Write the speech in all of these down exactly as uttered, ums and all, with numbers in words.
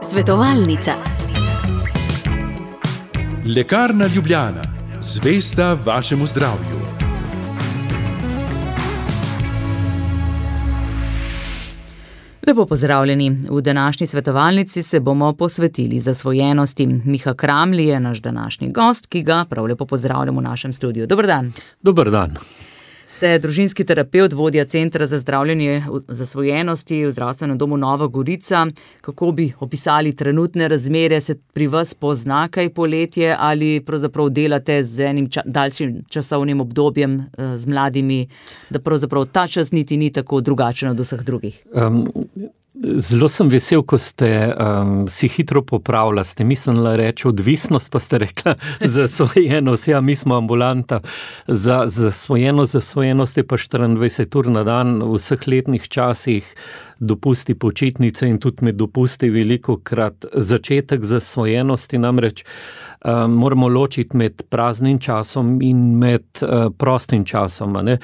Svetovalnica. Lekarna Ljubljana, zvesta vašemu zdravju. Lepo pozdravljeni. V današnji svetovalnici se bomo posvetili zasvojenosti. Miha Kramli je naš današnji gost, ki ga prav lepo pozdravljamo v našem studiu. Dober dan. Dober dan. Ste družinski terapevt, vodja Centra za zdravljenje zasvojenosti v zdravstvenem domu Nova Gorica. Kako bi opisali trenutne razmere? Se pri vas pozna kaj poletje ali pravzaprav delate z enim ča- daljšim časovnim obdobjem eh, z mladimi, da pravzaprav ta čas niti ni tako drugačen od vseh drugih? Um, zelo sem vesel, ko ste um, si hitro popravila. Ste mislila reči odvisnost, pa ste rekla zasvojenost. Ja, mi smo ambulanta. Za zasvojenost, zasvojenost je pa štiriindvajset ur na dan v vseh letnih časih, dopusti, počitnice in tudi med dopusti velikokrat začetek zasvojenosti. Namreč um, moramo ločiti med praznim časom in med uh, prostim časom, a ne?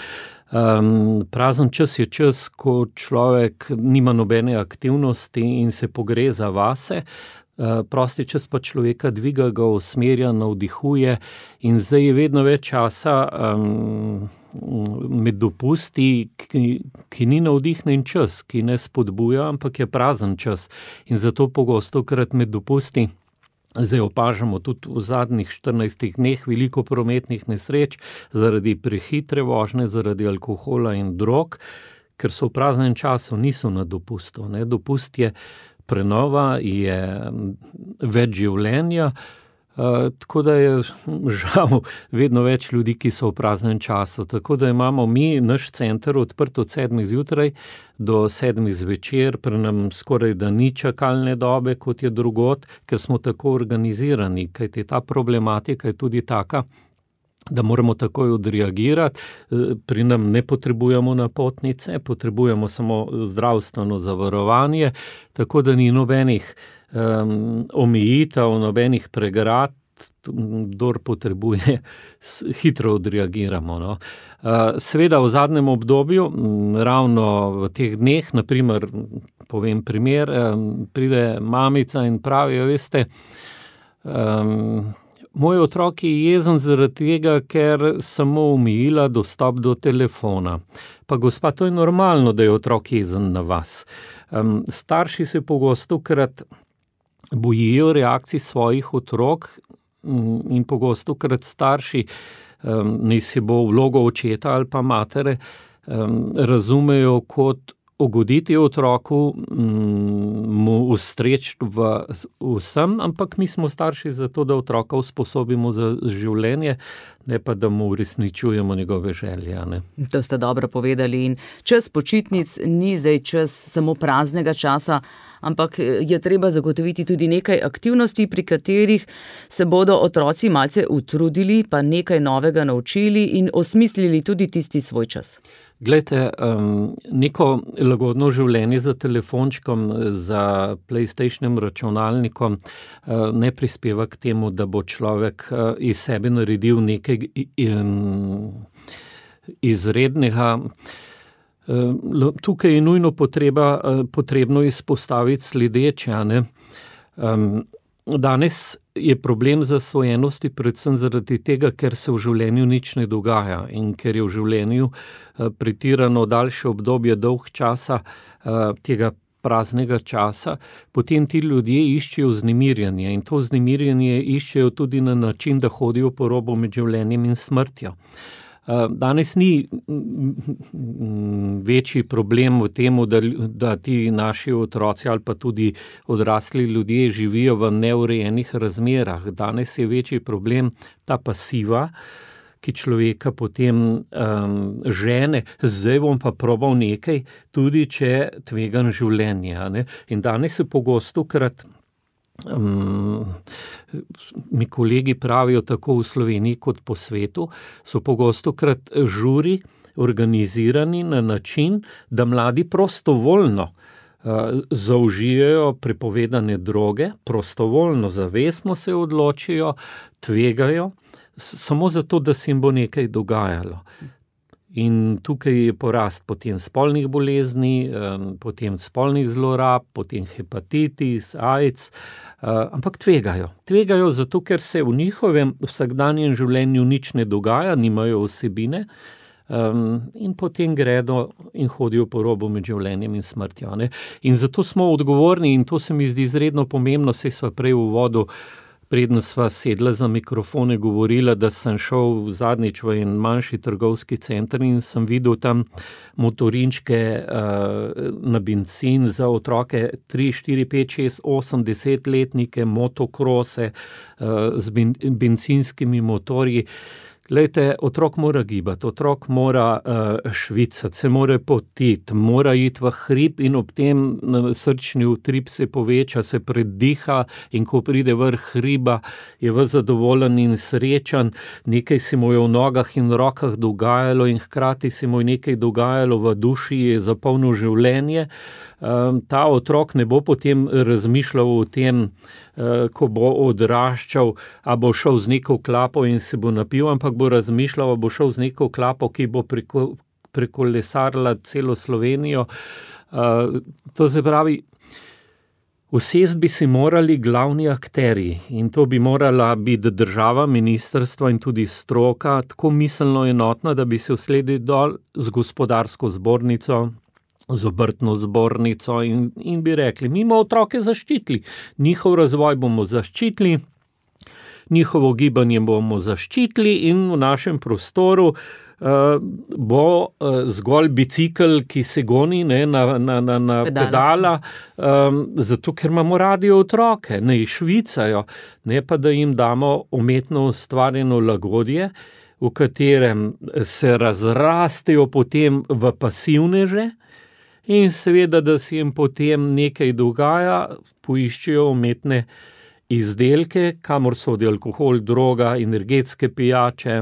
Um, prazen čas je čas, ko človek nima nobene aktivnosti in se pogreza vase. Uh, prosti čas pa človeka dviga, ga usmerja, navdihuje in zdaj je vedno več časa um, med dopusti, ki, ki ni navdihnen čas, ki ne spodbuja, ampak je prazen čas. In zato pogostokrat med dopusti zdaj opažamo tudi v zadnjih štirinajstih dneh veliko prometnih nesreč zaradi prehitre vožnje, zaradi alkohola in drog, ker so v praznem času, niso na dopustu. Ne? Dopust je prenova, je več življenja, Uh, tako da je žal vedno več ljudi, ki so v praznem času. Tako da imamo mi, naš center, odprt od sedmih zjutraj do sedmih zvečer, pri nam skoraj da ni čakalne dobe, kot je drugod, ker smo tako organizirani, kajti ta problematika je tudi taka, da moramo takoj odreagirati. Pri nam ne potrebujemo napotnice, potrebujemo samo zdravstveno zavarovanje, tako da ni nobenih um, omejitev, nobenih pregrad, kdor potrebuje, hitro odreagiramo. No. Uh, seveda v zadnjem obdobju, ravno v teh dneh, naprimer, povem primer, um, pride mamica in pravi, veste, um, moj otrok je jezen zaradi tega, ker sem mu omejila dostop do telefona. Pa gospa, to je normalno, da je otrok jezen na vas. Um, starši se pogostokrat bojijo reakcij svojih otrok um, in pogostokrat starši, um, naj si bo vlogo očeta ali pa matere, um, razumejo kot ugoditi otroku, mu ustreči v vsem, ampak mi smo starši zato, da otroka usposobimo za življenje, ne pa da mu uresničujemo njegove želje. Ne? To ste dobro povedali in čas počitnic ni zdaj čas samo praznega časa, ampak je treba zagotoviti tudi nekaj aktivnosti, pri katerih se bodo otroci malce utrudili, pa nekaj novega naučili in osmislili tudi tisti svoj čas. Glejte, um, neko lagodno življenje za telefončkom, za PlayStationem računalnikom uh, ne prispeva k temu, da bo človek uh, iz sebe naredil nekaj um, izrednega. Uh, tukaj je nujno potreba, uh, potrebno izpostaviti sledeče, a ne. Um, Danes je problem zasvojenosti predvsem zaradi tega, ker se v življenju nič ne dogaja in ker je v življenju pretirano daljše obdobje dolg časa tega praznega časa, potem ti ljudje iščejo vznemirjanje in to vznemirjanje iščejo tudi na način, da hodijo po robu med življenjem in smrtjo. Danes ni večji problem v tem, da, da ti naši otroci ali pa tudi odrasli ljudje živijo v neurejenih razmerah. Danes je večji problem ta pasiva, ki človeka potem um, žene, zdaj bom pa probal nekaj, tudi če tvegam življenje. Ne? In danes se pogostokrat Um, mi kolegi pravijo tako v Sloveniji kot po svetu, so pogostokrat žuri organizirani na način, da mladi prostovoljno uh, zaužijajo prepovedane droge, prostovoljno, zavestno se odločijo, tvegajo, samo zato, da se jim bo nekaj dogajalo. In tukaj je porast potem spolnih bolezni, potem spolnih zlorab, potem hepatitis, AIDS, ampak tvegajo. Tvegajo zato, ker se v njihovem vsakdanjem življenju nič ne dogaja, nimajo vsebine, in potem gredo in hodijo po robu med življenjem in smrtjo, ne. In zato smo odgovorni, in to se mi zdi izredno pomembno, saj sva prej v uvodu, preden sva sedla za mikrofone, govorila, da sem šel zadnjič v en manjši trgovski center in sem videl tam motorinčke uh, na bencin za otroke tri, štiri, pet, šest, osem, desetletnike, motokrose uh, z ben, bencinskimi motorji. Glejte, otrok mora gibati, otrok mora uh, švicati, se mora potiti, mora iti v hrib in ob tem srčni utrip se poveča, se prediha in ko pride vrh hriba, je ves zadovoljen in srečen, nekaj se mu je v nogah in rokah dogajalo in hkrati se mu je nekaj dogajalo v duši, je zapolnil življenje. Um, ta otrok ne bo potem razmišljal o tem, uh, ko bo odraščal, a bo šel z neko klapo in se bo napil, ampak bo razmišljal, a bo šel z neko klapo, ki bo preko, prekolesarila celo Slovenijo. Uh, to se pravi, usest bi si morali glavni akterji in to bi morala biti država, ministrstvo in tudi stroka tako miselno enotna, da bi se usedli dol z gospodarsko zbornico, z obrtno zbornico in, in bi rekli, mi bomo otroke zaščitili, njihov razvoj bomo zaščitili, njihovo gibanje bomo zaščitili in v našem prostoru uh, bo uh, zgolj bicikel, ki se goni, ne, na, na, na, na pedala, pedala um, zato ker imamo radi otroke, ne švicajo, ne pa da jim damo umetno ustvarjeno lagodje, v katerem se razrastejo potem v pasivneže, in seveda, da se jim potem nekaj dogaja, poiščejo umetne izdelke, kamor sodi alkohol, droga, energetske pijače,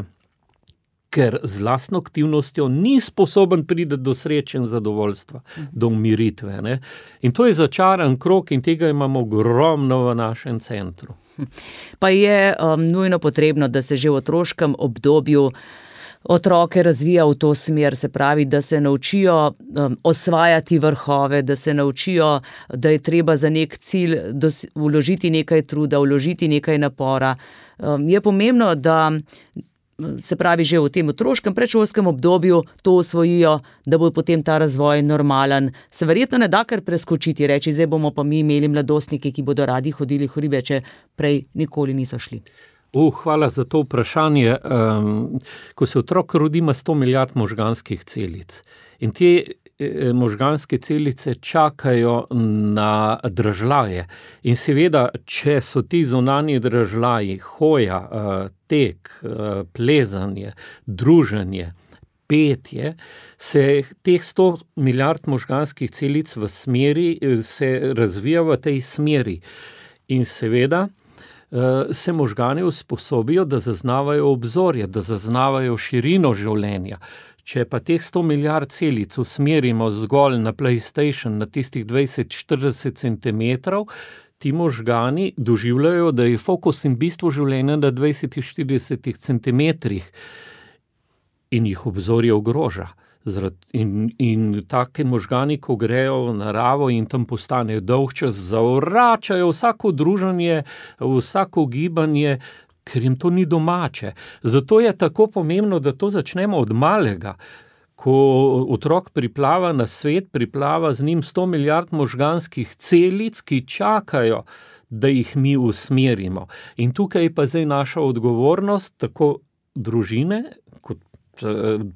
ker z lastno aktivnostjo ni sposoben priti do sreče in zadovoljstva, do umiritve, ne. In to je začaran krog in tega imamo ogromno v našem centru. Pa je um, nujno potrebno, da se že v otroškem obdobju otroke razvija v to smer, se pravi, da se naučijo um, osvajati vrhove, da se naučijo, da je treba za nek cilj dos- vložiti nekaj truda, vložiti nekaj napora. Um, je pomembno, da se pravi že v tem otroškem predšolskem obdobju to osvojijo, da bo potem ta razvoj normalen. Se verjetno ne da kar preskočiti, reči, zdaj bomo pa mi imeli mladostnike, ki bodo radi hodili v hribe, če prej nikoli niso šli. Uh, hvala za to vprašanje. Um, ko se otrok rodi, ima sto milijard možganskih celic. In te eh, možganske celice čakajo na dražljaje. In seveda, če so ti zunanji dražljaji, hoja, uh, tek, uh, plezanje, druženje, petje, se teh sto milijard možganskih celic v smeri, se razvija v tej smeri. In seveda, se možgani usposobijo, da zaznavajo obzorje, da zaznavajo širino življenja. Če pa teh sto milijard celic usmerimo zgolj na PlayStation, na tistih dvajset štirideset centimetrov, ti možgani doživljajo, da je fokus in bistvo življenja na dvajset štirideset centimetrih in jih obzorje ogroža. In, in take možgani, ko grejo v naravo in tam postanejo dolgčas, zavračajo vsako druženje, vsako gibanje, ker jim to ni domače. Zato je tako pomembno, da to začnemo od malega. Ko otrok priplava na svet, priplava z njim sto milijard možganskih celic, ki čakajo, da jih mi usmerimo. In tukaj je pa zdaj naša odgovornost, tako družine, kot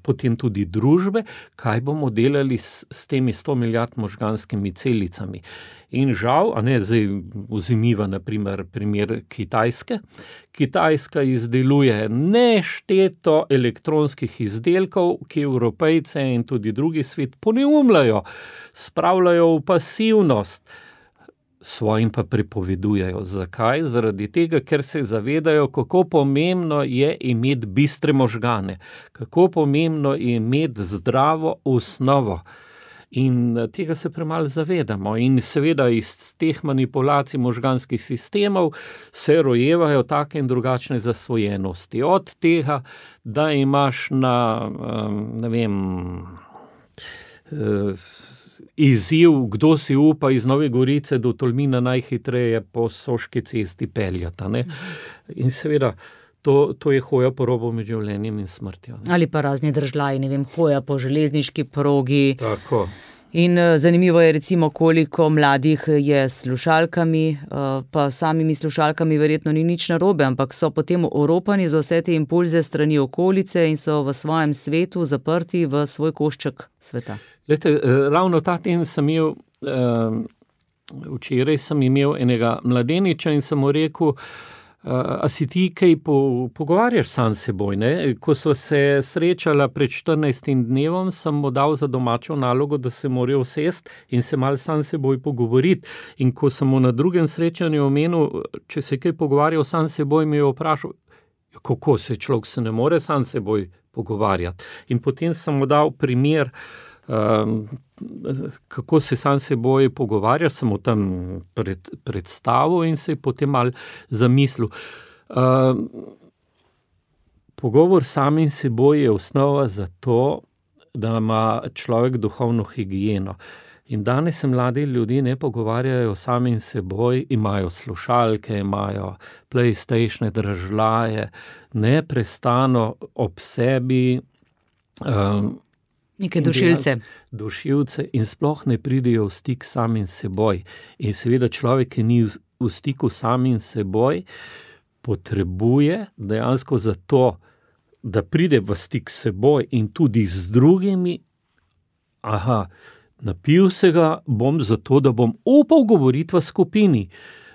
potem tudi družbe, kaj bomo delali s, s temi sto milijard možganskimi celicami. In žal, a ne, zdaj vzemiva na primer primer Kitajske. Kitajska izdeluje nešteto elektronskih izdelkov, ki Evropejce in tudi drugi svet poneumljajo, spravljajo v pasivnost, svojim pa prepovedujejo. Zakaj? Zaradi tega, ker se zavedajo, kako pomembno je imeti bistre možgane, kako pomembno je imeti zdravo osnovo. In tega se premalo zavedamo. In seveda iz teh manipulacij možganskih sistemov se rojevajo take in drugačne zasvojenosti. Od tega, da imaš na, ne vem, izziv, kdo si upa iz Nove Gorice do Tolmina najhitreje po Soški cesti peljata. Ne? In seveda, To, to je hoja po robu med življenjem in smrtjo. Ne? Ali pa razni držljaji, ne vem, hoja po železniški progi. Tako. In zanimivo je recimo, koliko mladih je s slušalkami, pa samimi slušalkami verjetno ni nič narobe, ampak so potem oropani za vse te impulze strani okolice in so v svojem svetu zaprti v svoj košček sveta. Glejte, ravno ta teden sem imel, včeraj sem imel enega mladeniča in sem mu rekel, a si ti kaj po, pogovarjaš sam s seboj, ne? Ko sva se srečala pred štirinajstim dnevom, sem mu dal za domačo nalogo, da se mora usesti in se malo sam s seboj pogovoriti. In ko sem mu na drugem srečanju omenil, če se kaj pogovarjal sam s seboj, mi je vprašal, kako se človek se ne more sam s seboj pogovarjati. In potem sem mu dal primer, Um, kako se sam seboj pogovarja, sem mu tam pred, predstavil in se je potem malo zamislil. Um, pogovor samim seboj je osnova za to, da ima človek duhovno higieno. In danes se mladi ljudje ne pogovarjajo samim seboj, imajo slušalke, imajo PlayStatione, dražljaje, neprestano ob sebi, um, neke dušilce. Dušilce in sploh ne pridejo v stik samim seboj. In seveda človek, ki ni v stiku samim seboj, potrebuje dejansko za to, da pride v stik s seboj in tudi z drugimi, aha, napil se ga bom zato, da bom upal govoriti v skupini.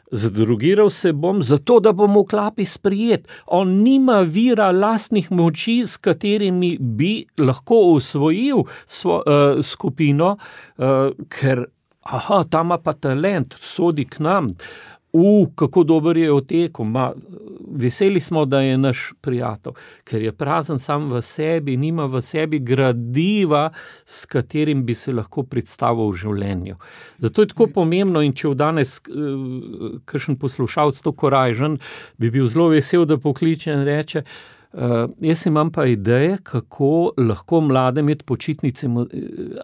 Zadrugiral se bom zato, da bom v klapi sprijet. On nima vira lastnih moči, s katerimi bi lahko osvojil svo, uh, skupino, uh, ker aha, ta ima pa talent, sodi k nam. U, kako dober je otekel, ma, veseli smo, da je naš prijatelj, ker je prazen sam v sebi, nima v sebi gradiva, s katerim bi se lahko predstavil v življenju. Zato je tako pomembno in če v danes uh, kakšen poslušalec to korajžen, bi bil zelo vesel, da pokliče in reče, uh, jaz imam pa ideje, kako lahko mlade med počitnicami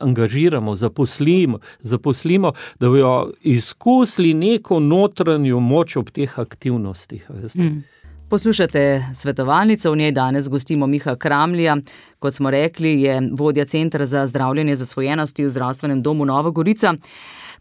angažiramo, zaposlimo, zaposlimo, da bojo izkusili neko notranjo moč ob teh aktivnostih. Mm. Poslušate svetovalnico, v njej danes gostimo Miha Kramlija. Kot smo rekli, je vodja Centra za zdravljenje zasvojenosti v Zdravstvenem domu Nova Gorica.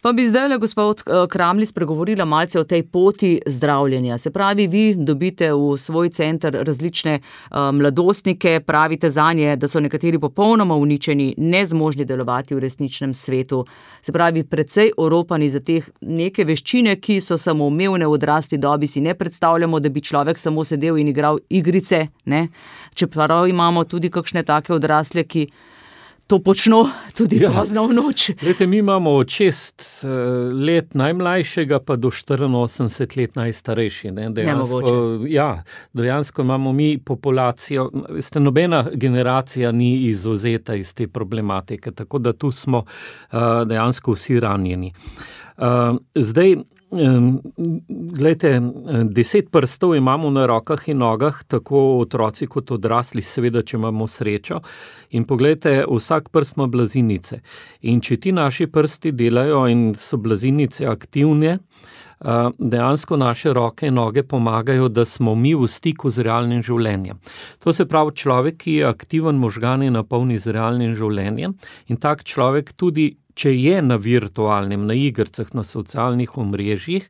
Pa bi zdaj le gospod Kramli spregovorila malce o tej poti zdravljenja. Se pravi, vi dobite v svoj center različne uh, mladostnike, pravite zanje, da so nekateri popolnoma uničeni, nezmožni delovati v resničnem svetu. Se pravi, precej oropani za teh neke veščine, ki so samoumevne v odrasli dobi, si ne predstavljamo, da bi človek samo sedel in igral igrice, ne? Čeprav imamo tudi kakšne take odrasle, ki to počno tudi ja. Pozno v noč. Lete, mi imamo od šest let najmlajšega pa do štiriinosemdeset let najstarejši. Ne? Dejansko, ja, dejansko imamo mi populacijo, veste, nobena generacija ni izvzeta iz te problematike, tako da tu smo uh, dejansko vsi ranjeni. Uh, zdaj, Glejte, deset prstov imamo na rokah in nogah, tako otroci kot odrasli, seveda, če imamo srečo. In poglejte, vsak prst ima blazinice. In če ti naši prsti delajo in so blazinice aktivne, dejansko naše roke in noge pomagajo, da smo mi v stiku z realnim življenjem. To se pravi, človek, ki je aktiven, možgane napolni z realnim življenjem in tak človek tudi, če je na virtualnem, na igrcah, na socialnih omrežjih,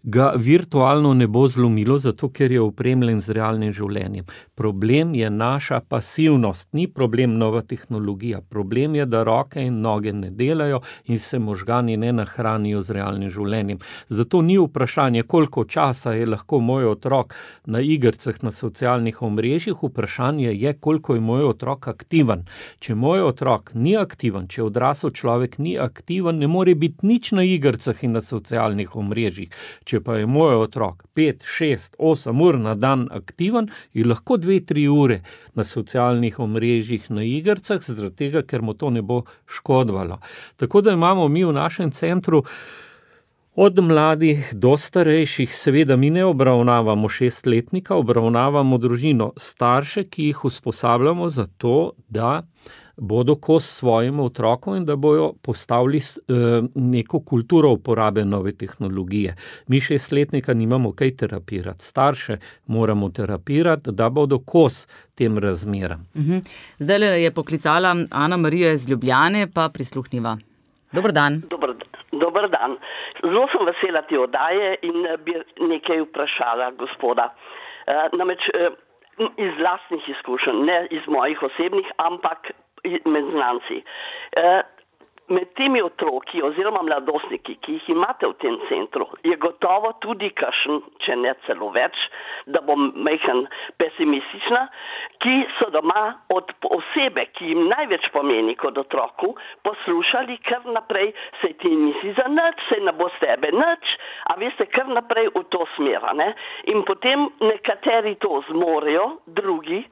ga virtualno ne bo zlomilo, zato ker je opremljen z realnim življenjem. Problem je naša pasivnost, ni problem nova tehnologija. Problem je, da roke in noge ne delajo in se možgani ne nahranijo z realnim življenjem. Zato ni vprašanje, koliko časa je lahko moj otrok na igrcah, na socialnih omrežjih, vprašanje je, koliko je moj otrok aktiven. Če moj otrok ni aktiven, če odrasel človek ni aktiven, ne more biti nič na igrcah in na socialnih omrežjih. Če pa je moj otrok pet, šest, osem ur na dan aktiven, je lahko dve, tri ure na socialnih omrežjih, na igrcah, zaradi tega, ker mu to ne bo škodovalo. Tako da imamo mi v našem centru od mladih do starejših, seveda mi ne obravnavamo šestletnika, obravnavamo družino, starše, ki jih usposabljamo za to, da bodo kos svojim otrokom in da bojo postavili eh, neko kulturo uporabe nove tehnologije. Mi šestletnika nimamo kaj terapirati, starše moramo terapirati, da bodo kos tem razmeram. Uh-huh. Zdaj je poklicala Ana Marija iz Ljubljane, pa prisluhniva. Dober dan. Dober, dober dan. Zelo sem vesela te oddaje in bi nekaj vprašala gospoda. E, namreč e, iz lastnih izkušenj, ne iz mojih osebnih, ampak med znanci. E, med temi otroki oziroma mladostniki, ki jih imate v tem centru, je gotovo tudi kakšen, če ne celo več, da bom majhen pesimistična, ki so doma od osebe, ki jim največ pomeni kot otroku, poslušali kar naprej, sej ti nisi za nič, sej ne bo s tebe nič, a veste, kar naprej v to smer, ne? In potem nekateri to zmorejo, drugi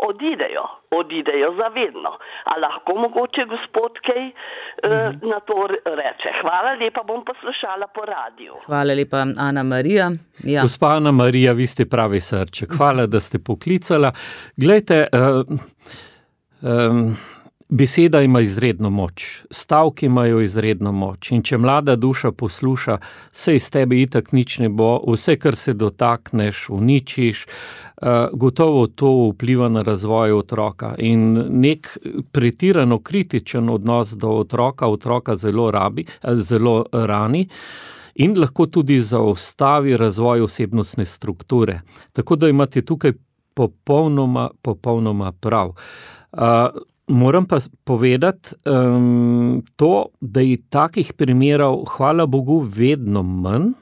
odidejo, odidejo zavedno. A lahko mogoče gospod kaj eh, na to reče. Hvala lepa, bom poslušala po radiju. Hvala lepa, Ana Marija. Ja. Gospa Ana Marija, vi ste pravi srček. Hvala, da ste poklicala. Glejte, uh, um, beseda ima izredno moč, stavki imajo izredno moč in če mlada duša posluša, se iz tebe itak nič ne bo, vse, kar se dotakneš, uničiš, uh, gotovo to vpliva na razvoj otroka in nek pretirano kritičen odnos do otroka, otroka zelo rabi, zelo rani in lahko tudi zaustavi razvoj osebnostne strukture. Tako da imate tukaj popolnoma, popolnoma prav. Uh, Moram pa povedati um, to, da je takih primerov, hvala Bogu, vedno manj,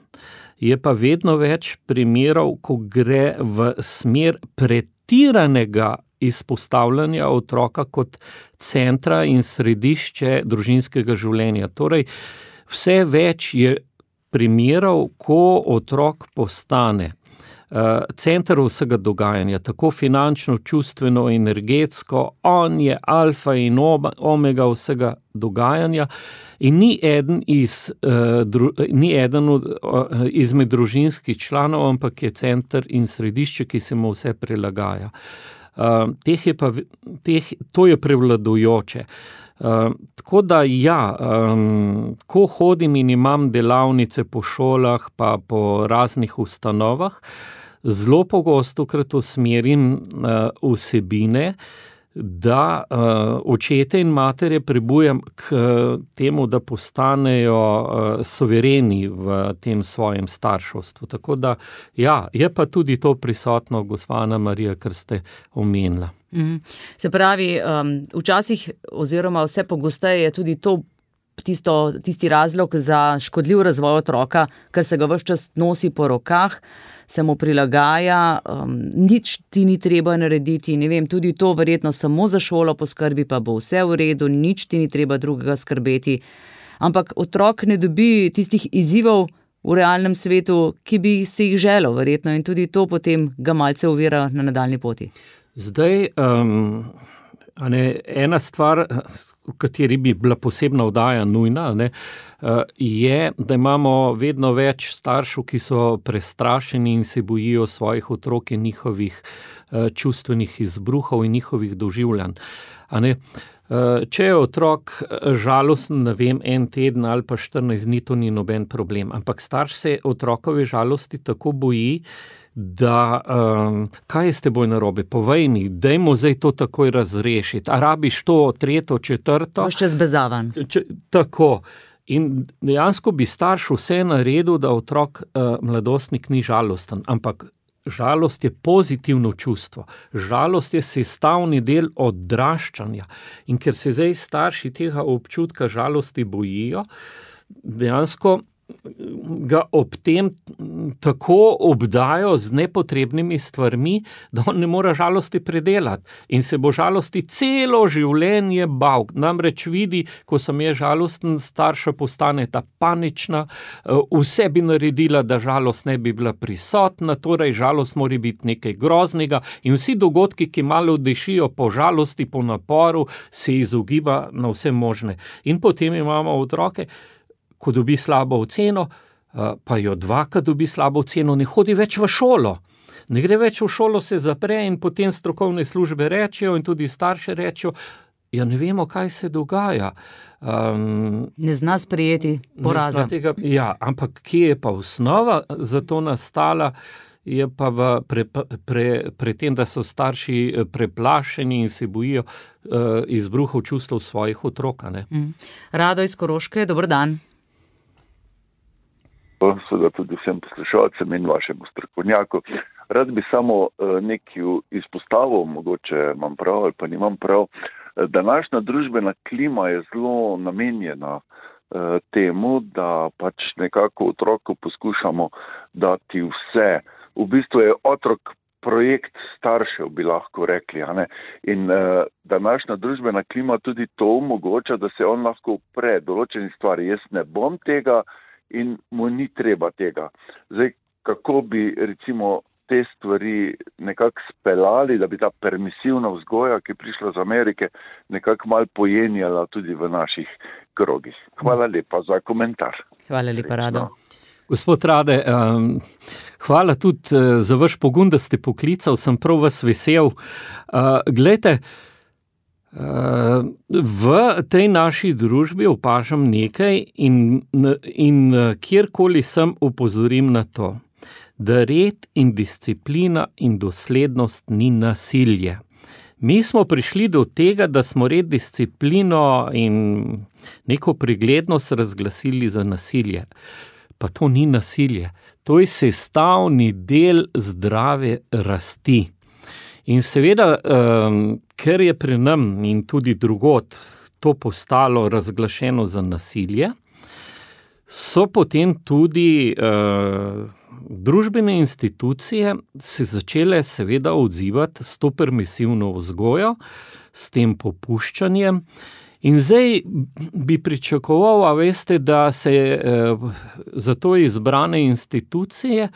je pa vedno več primerov, ko gre v smer pretiranega izpostavljanja otroka kot centra in središče družinskega življenja. Torej, vse več je primerov, ko otrok postane Uh, center vsega dogajanja, tako finančno, čustveno, energetsko, on je alfa in omega vsega dogajanja in ni eden, iz, uh, dru, ni eden od, uh, izmed družinskih članov, ampak je center in središče, ki se mu vse prilagaja. Uh, teh je pa, teh, to je prevladujoče. Uh, tako da ja, um, ko hodim in imam delavnice po šolah pa po raznih ustanovah, zelo pogosto krat usmerim uh, vsebine, da uh, očete in matere pribujam k uh, temu, da postanejo uh, suvereni v tem svojem starševstvu. Tako da ja, je pa tudi to prisotno, gospa Ana Marija, kar ste omenila. Mm. Se pravi, um, včasih oziroma vse pogosteje je tudi to tisto, tisti razlog za škodljiv razvoj otroka, ker se ga ves čas nosi po rokah, se mu prilagaja, um, nič ti ni treba narediti, ne vem, tudi to verjetno samo za šolo poskrbi, pa bo vse v redu, nič ti ni treba drugega skrbeti. Ampak otrok ne dobi tistih izzivov v realnem svetu, ki bi si jih želel, verjetno, in tudi to potem ga malce ovira na nadaljni poti. Zdaj, um, a ne, ena stvar, v kateri bi bila posebna oddaja nujna, ne, je, da imamo vedno več staršev, ki so prestrašeni in se bojijo svojih otrok in njihovih čustvenih izbruhov in njihovih doživljanj. A ne, če je otrok žalosten, ne vem, en teden ali pa štirinajst dni, to ni noben problem, ampak starš se otrokove žalosti tako boji, da um, kaj je s teboj narobe, povej mi, dajmo zdaj to takoj razrešiti, a rabiš to tretjo, četrto? Boš čez bezavan. Če, tako. In dejansko bi starš vse naredil, da otrok, uh, mladostnik ni žalosten, ampak žalost je pozitivno čustvo. Žalost je sestavni del odraščanja. In ker se zdaj starši tega občutka žalosti bojijo, dejansko ga ob tem tako obdajo z nepotrebnimi stvarmi, da on ne more žalosti predelati in se bo žalosti celo življenje bal. Namreč vidi, ko sem je žalosten, starša postane ta panična, vse bi naredila, da žalost ne bi bila prisotna, torej žalost mora biti nekaj groznega in vsi dogodki, ki malo dišijo po žalosti, po naporu, se izogiba na vse možne. In potem imamo otroke, ko dobi slabo oceno, pa jo dvakrat dobi slabo oceno, ne hodi več v šolo. Ne gre več v šolo, se zapre in potem strokovne službe rečejo in tudi starše rečejo, ja ne vemo, kaj se dogaja. Um, ne zna sprejeti poraza. Tega, ja, ampak kje je pa osnova za to nastala, je pa v pre, pre, pre tem, da so starši preplašeni in se bojijo uh, izbruhov čustev svojih otrok. Mm. Rado iz Koroške, dober dan. Seveda tudi vsem poslušalcem in vašemu strokovnjaku. Rad bi samo nekaj izpostavil, mogoče imam prav ali pa nimam prav. Današnja družbena klima je zelo namenjena temu, da pač nekako otroku poskušamo dati vse. V bistvu je otrok projekt staršev, bi lahko rekli. A ne? In današnja družbena klima tudi to omogoča, da se on lahko upre določeni stvari. Jaz ne bom tega, in mu ni treba tega. Zdaj, kako bi recimo te stvari nekako speljali, da bi ta permisivna vzgoja, ki je prišla z Amerike, nekako malo pojenjala tudi v naših krogih. Hvala lepa za komentar. Hvala lepa, Rado. Gospod Rade, um, hvala tudi uh, za vaš pogum, da ste poklical, sem prav vas vesel. Uh, glejte, Uh, v tej naši družbi opažam nekaj in, in kjerkoli sem opozorim na to, da red in disciplina in doslednost ni nasilje. Mi smo prišli do tega, da smo red, disciplino in neko preglednost razglasili za nasilje. Pa to ni nasilje, to je sestavni del zdrave rasti. In seveda, um, ker je pri nam in tudi drugod to postalo razglašeno za nasilje, so potem tudi uh, družbene institucije se začele seveda odzivati s to permisivno vzgojo, s tem popuščanjem. In zdaj bi pričakoval, a veste, da se uh, za to izbrane institucije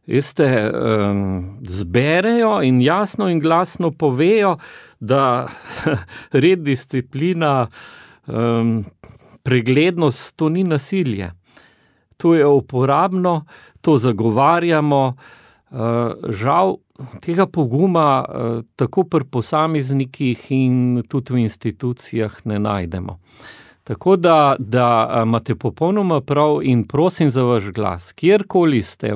Veste, um, zberejo in jasno in glasno povejo, da red, disciplina, um, preglednost, to ni nasilje. To je uporabno, to zagovarjamo. Uh, žal tega poguma uh, tako pri posameznikih in tudi v institucijah ne najdemo. Tako da, da imate popolnoma prav in prosim za vaš glas, kjerkoli ste,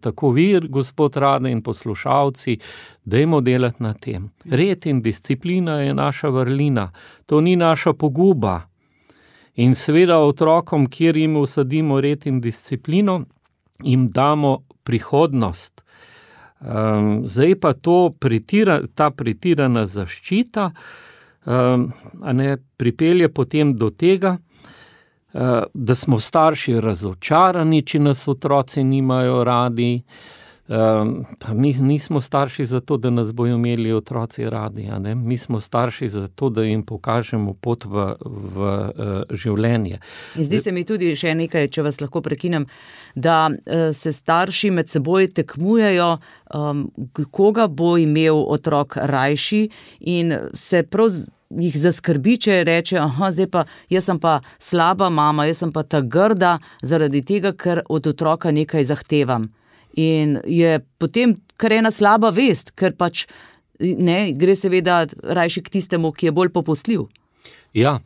tako vi, gospod Rade in poslušalci, dajmo delati na tem. Red in disciplina je naša vrlina, to ni naša poguba. In seveda otrokom, kjer jim usadimo red in disciplino, jim damo prihodnost. Um, zdaj pa to pretira, ta pretirana zaščita, Um, a ne pripelje potem do tega, uh, da smo starši razočarani, če nas otroci nimajo radi. Um, pa mi nismo starši zato, da nas bojo imeli otroci radi. A ne? Mi smo starši zato, da jim pokažemo pot v, v uh, življenje. Zdi se mi tudi še nekaj, če vas lahko prekinem, da uh, se starši med seboj tekmujejo, um, koga bo imel otrok rajši in se prav jih zaskrbi, če reče, aha, zdaj pa, jaz sem pa slaba mama, jaz sem pa ta grda zaradi tega, ker od otroka nekaj zahtevam. In je potem kar ena slaba vest, ker pač ne, gre seveda rajši k tistemu, ki je bolj popustljiv. Ja,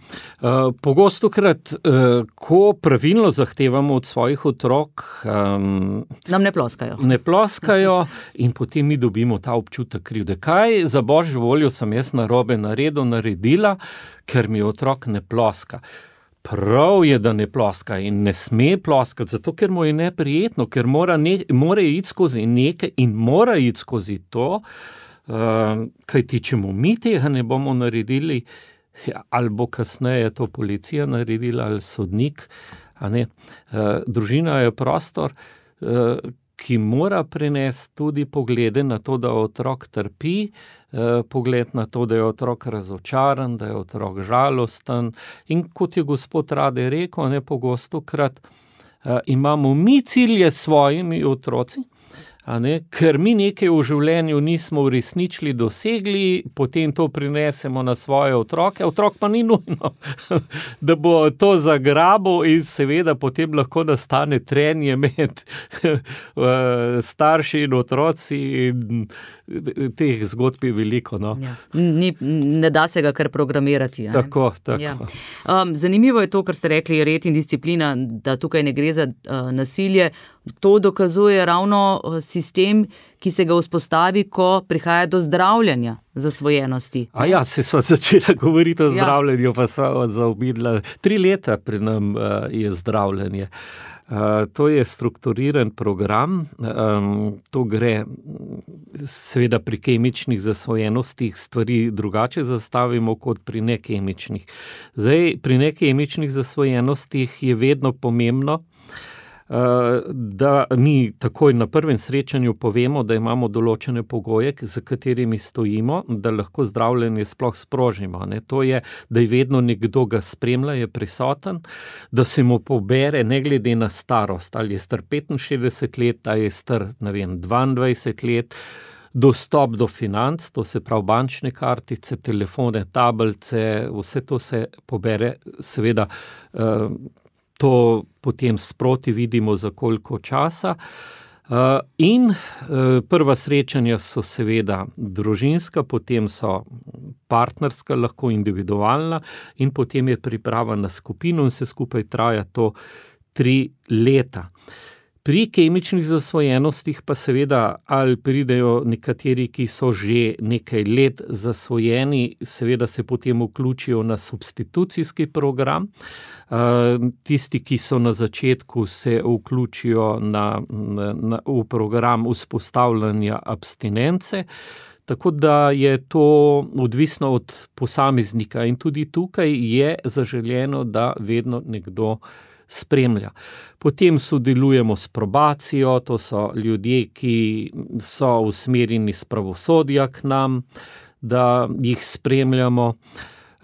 uh, pogostokrat, uh, ko pravilno zahtevamo od svojih otrok, um, nam ne ploskajo. Ne ploskajo in potem mi dobimo ta občutek krivde. Kaj za božjo voljo sem jaz narobe naredil, naredila, ker mi otrok ne ploska. Prav je, da ne ploska in ne sme ploskati, zato ker mu je neprijetno, ker mora, ne, mora iti skozi nekaj in mora iti skozi to, uh, kajti če mu mi tega ne bomo naredili, ali bo kasneje to policija naredila ali sodnik, A ne? Družina je prostor, ki mora prenesti tudi poglede na to, da otrok trpi, pogled na to, da je otrok razočaran, da je otrok žalosten. In kot je gospod Rade rekel, ne, pogostokrat imamo mi cilje s svojimi otroci, a ne, ker mi nekaj v življenju nismo uresničili, dosegli, potem to prinesemo na svoje otroke, otrok pa ni nujno, da bo to zagrabil in seveda potem lahko nastane trenje med starši in otroci in teh zgodb je veliko. No. Ja. Ni, ne da se ga kar programirati. Ja, tako, tako. Ja. Um, zanimivo je to, kar ste rekli, red in disciplina, da tukaj ne gre za uh, nasilje. To dokazuje ravno sistem, ki se ga vzpostavi, ko prihaja do zdravljenja zasvojenosti. A ja, se sva začela govoriti o zdravljenju, ja. Pa sva zaobidla. Tri leta pri nam uh, je zdravljenje. Uh, to je strukturiran program, um, to gre seveda pri kemičnih zasvojenostih stvari drugače zastavimo kot pri nekemičnih. Zdaj, pri nekemičnih zasvojenostih je vedno pomembno, da mi takoj na prvem srečanju povemo, da imamo določene pogoje, za katerimi stojimo, da lahko zdravljenje sploh sprožimo. Ne? To je, da je vedno nekdo ga spremlja, je prisoten, da se mu pobere ne glede na starost, ali je star petinšestdeset let, ali je star, ne vem, dvaindvajset let, dostop do financ, to se pravi bančne kartice, telefone, tablice, vse to se pobere, seveda to potem sproti vidimo za koliko časa. In prva srečanja so seveda družinska, potem so partnerska, lahko individualna in potem je priprava na skupino in se skupaj traja to tri leta. Pri kemičnih zasvojenostih pa seveda ali pridejo nekateri, ki so že nekaj let zasvojeni, seveda se potem vključijo na substitucijski program. Tisti, ki so na začetku, se vključijo na, na, v program vzpostavljanja abstinence, tako da je to odvisno od posameznika in tudi tukaj je zaželeno, da vedno nekdo spremlja. Potem sodelujemo s probacijo, to so ljudje, ki so usmerjeni s pravosodja k nam, da jih spremljamo.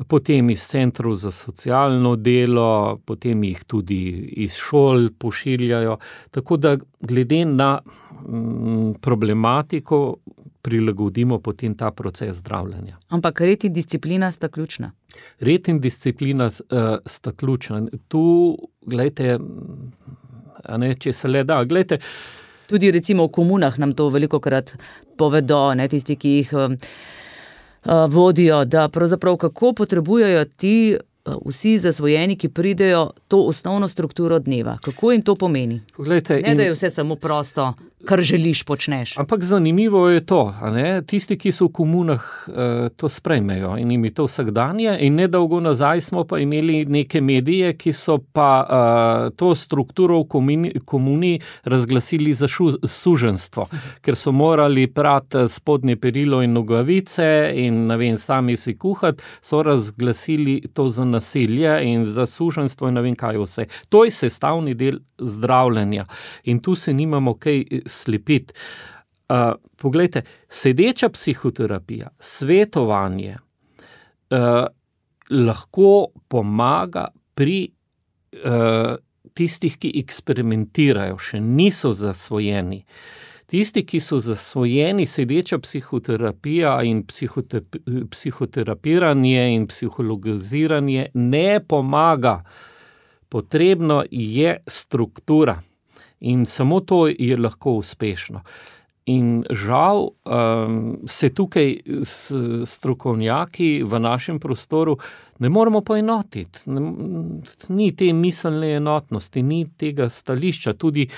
Potem iz centrov za socialno delo, potem jih tudi iz šol pošiljajo. Tako da glede na problematiko prilagodimo potem ta proces zdravljenja. Ampak red in disciplina sta ključna. Red in disciplina uh, sta ključna. Tu, gledajte, a ne, če se le da, gledajte. Tudi recimo v komunah nam to velikokrat povedo, ne, tisti, ki jih uh, vodijo, da pravzaprav kako potrebujejo ti uh, vsi zasvojeni, ki pridejo to osnovno strukturo dneva. Kako jim to pomeni? Poglejte, ne, da je vse samo prosto, kar želiš, počneš. Ampak zanimivo je to, a ne? Tisti, ki so v komunah, to sprejmejo in jim je to vsakdanje in nedolgo nazaj smo pa imeli neke medije, ki so pa uh, to strukturo v komuni, komuni razglasili za šu, suženstvo, ker so morali prati spodnje perilo in nogavice in ne vem, sami si kuhati, so razglasili to za nasilje in za suženstvo in ne vem kaj vse. To je sestavni del zdravljenja in tu se nimamo kaj slepiti. Uh, poglejte, sedeča psihoterapija, svetovanje uh, lahko pomaga pri uh, tistih, ki eksperimentirajo, še niso zasvojeni. Tisti, ki so zasvojeni, sedeča psihoterapija in psihote, psihoterapiranje in psihologiziranje ne pomaga. Potrebno je struktura. In samo to je lahko uspešno. In žal um, se tukaj strokovnjaki v našem prostoru ne moremo poenotiti. Ni te miselne enotnosti, ni tega stališča. Tudi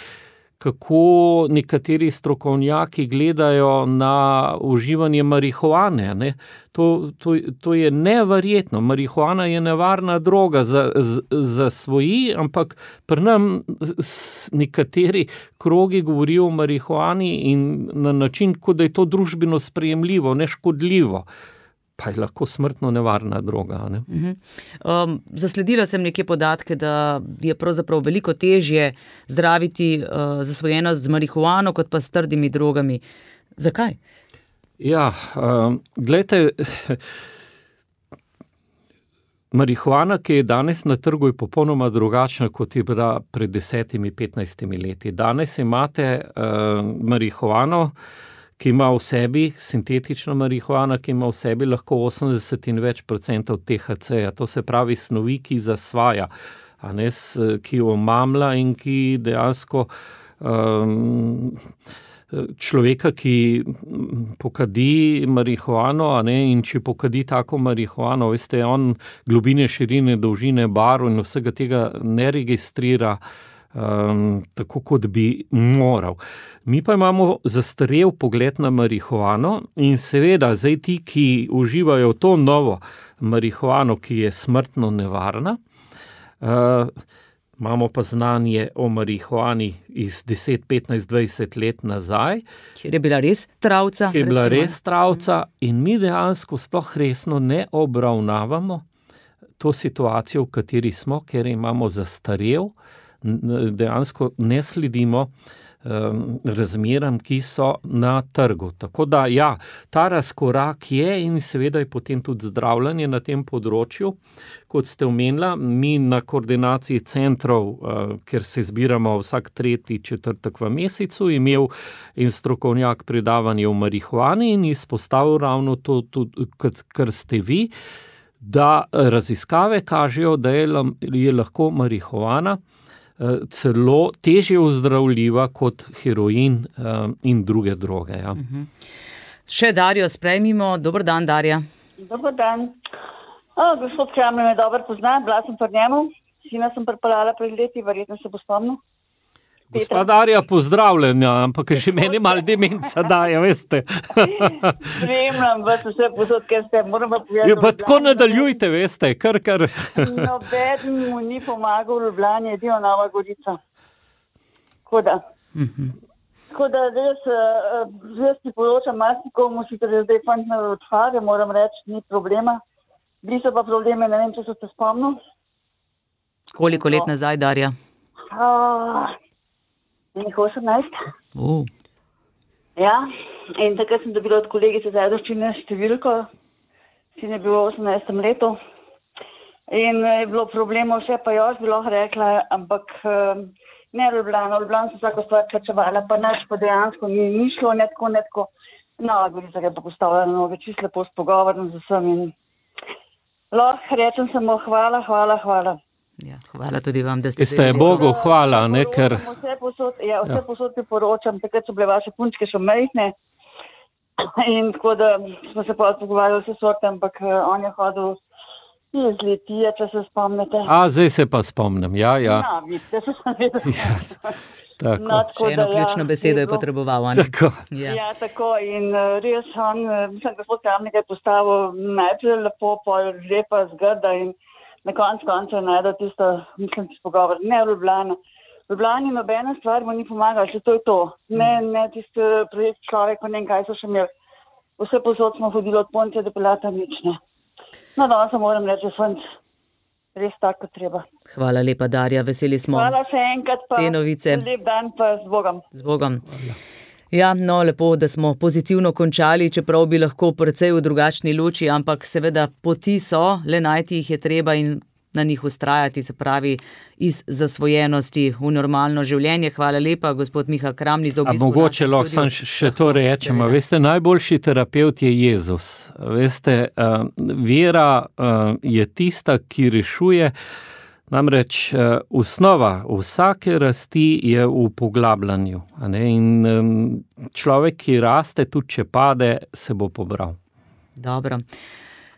kako nekateri strokovnjaki gledajo na uživanje marihuane. Ne? To, to, to je neverjetno. Marihuana je nevarna droga za, za svoji, ampak pri nam nekateri krogi govorijo o marihuani in na način, kot da je to družbeno sprejemljivo, neškodljivo. pa je lahko smrtno nevarna droga. Ne? Uh-huh. Um, zasledila sem neke podatke, da je pravzaprav veliko težje zdraviti uh, zasvojenost z marihuano, kot pa s trdimi drogami. Zakaj? Ja, um, glejte, marihuana, ki je danes na trgu, je popolnoma drugačna, kot je bila pred desetimi, petnajstimi leti. Danes imate uh, marihuano, ki ima v sebi, sintetična marihuana, ki ima v sebi lahko osemdeset in več procentov T H C-ja. To se pravi snovi, ki zasvaja, a ne, ki omamla in ki dejansko um, človeka, ki pokadi marihuano, a ne, in če pokadi tako marihuano, veste, on globine, širine, dolžine, barv in vsega tega ne registrira Um, tako, kot bi moral. Mi pa imamo zastarel pogled na marihuano in seveda zdaj ti, ki uživajo to novo marihuano, ki je smrtno nevarna, uh, imamo pa znanje o marihuani iz deset, petnajst, dvajset let nazaj. Kjer je bila res travca. Kjer je bila res travca in mi dejansko sploh resno ne obravnavamo to situacijo, v kateri smo, ker imamo zastarel, dejansko ne sledimo um, razmeram, ki so na trgu. Tako da, ja, ta razkorak je in seveda je potem tudi zdravljenje na tem področju. Kot ste omenila, mi na koordinaciji centrov, uh, ker se zbiramo vsak tretji četrtek v mesecu, imel in strokovnjak predavanje o marihuani in izpostavil ravno to, to kar ste vi, da raziskave kažejo, da je, je lahko marihuana celo težje ozdravljiva kot heroin um, in druge droge. Ja. Uh-huh. Še Darjo sprejmimo. Dober dan, Darja. Dober dan. O, gospod Kraml me dobro pozna, bila sem pri njemu, sina sem pripeljala pred leti, verjetno se bo spomnil. Gospa Darja, pozdravljena, ampak še meni malo demenca daje, veste. Spremljam vas vse posod, ker ste, moram pa povedati. Ja, pa tako nadaljujte, veste, kar, kar. Nobeden mu ni pomagal v Ljubljani, edino Nova Gorica. Tako da. Uh-huh. Tako da res, res ti poročam, marsikomu si tudi zdaj fantne odhade, moram reči, ni problema. Bili so pa probleme, ne vem, če so se spomnil. Koliko let nazaj, Darja? Uh, Nekaj osemnajst. Uh. Ja, in takrat sem dobila od kolegice Zajdovščine številko, sin je bil v osemnajstem letu in je bilo problemov vse, pa jaz bi lahko rekla, ampak ne Ljubljana, Ljubljana so vsako stvar plačevala, pa naš pa dejansko ni, ni šlo, ne tako, ne tako. Nova Gorica je pa postavljala noge, čisto lepo s pogovorom z vsem in lahko rečem samo hvala, hvala, hvala. Ja, hvala tudi vam, da ste... Ste Bogu hvala, ne, ker... Vse posod, ja, vse posod priporočam, takrat so bile vaše punčke še majhne in tako da smo se pa pogovarjali vse sorte, ampak on je hodil iz Litije, če se spomnite. A, zdaj se pa spomnim, ja, ja. Ja, vidite, se sem vedel. Ja, tako. No, še eno da, ključno ja, besedo je bilo... potreboval, ne? Tako. Ja. Ja, tako in res on, mislim, gospod Kramnik je postavil najprej lepo, pol lepa, zgrda in na koncu konca najde tisto, mislim, tisto pogovor. Ne v Ljubljana. V Ljubljani nobena stvar mu ni pomagala, če to je to. Ne, ne tisti projekt človek, pa ne vem, kaj so še imeli. Vse posod smo hodili od Poncija do Pilata, nič ne. No, danes se moram reči, fant, res tako treba. Hvala lepa, Darja, veseli smo. Hvala še enkrat pa. Te novice. Lep dan pa z Bogom. Z Bogom. Ja, no, lepo, da smo pozitivno končali, čeprav bi lahko precej v drugačni luči, ampak seveda poti so, le najti jih je treba in na njih ustrajati, se pravi iz zasvojenosti v normalno življenje. Hvala lepa, gospod Miha Kramli, za obisko. A mogoče lahko sam še to rečem, veste, najboljši terapevt je Jezus. Veste, uh, vera uh, je tista, ki rešuje. Namreč uh, osnova vsake rasti je v poglabljanju. A ne? In um, človek, ki raste, tudi če pade, se bo pobral. Dobro.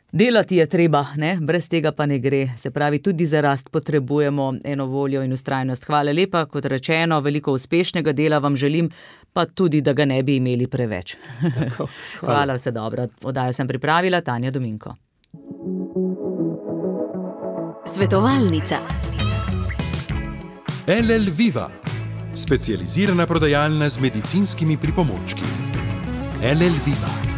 Delati je treba, ne? Brez tega pa ne gre. Se pravi, tudi za rast potrebujemo eno voljo in ustrajnost. Hvala lepa, kot rečeno, veliko uspešnega dela vam želim, pa tudi, da ga ne bi imeli preveč. Tako, hvala. Hvala, vse dobro. Oddajo sem pripravila, Tanja Dominko. Svetovalnica. L L Viva, specializirana prodajalna z medicinskimi pripomočki. L L Viva.